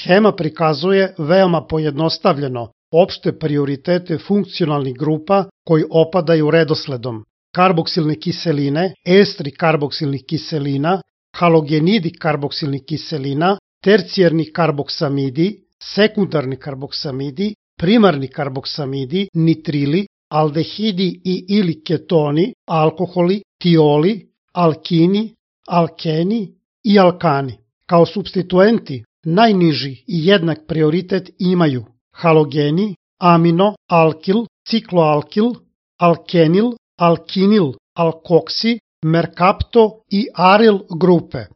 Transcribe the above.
Schema prikazuje veoma pojednostavljeno opšte prioritete funkcionalnih grupa koji opadaju redosledom: karboksilne kiseline, estri karboksilnih kiselina, halogenidi karboksilnih kiselina, tercijarni karboksamidi, sekundarni karboksamidi, primarni karboksamidi, nitrili, aldehidi i ili ketoni, alkoholi, tioli, alkini, alkeni i alkani. Kao supstituenti najniži i jednak prioritet imaju halogeni, amino, alkil, cikloalkil, alkenil, alkinil, alkoksi, merkapto i aril grupe.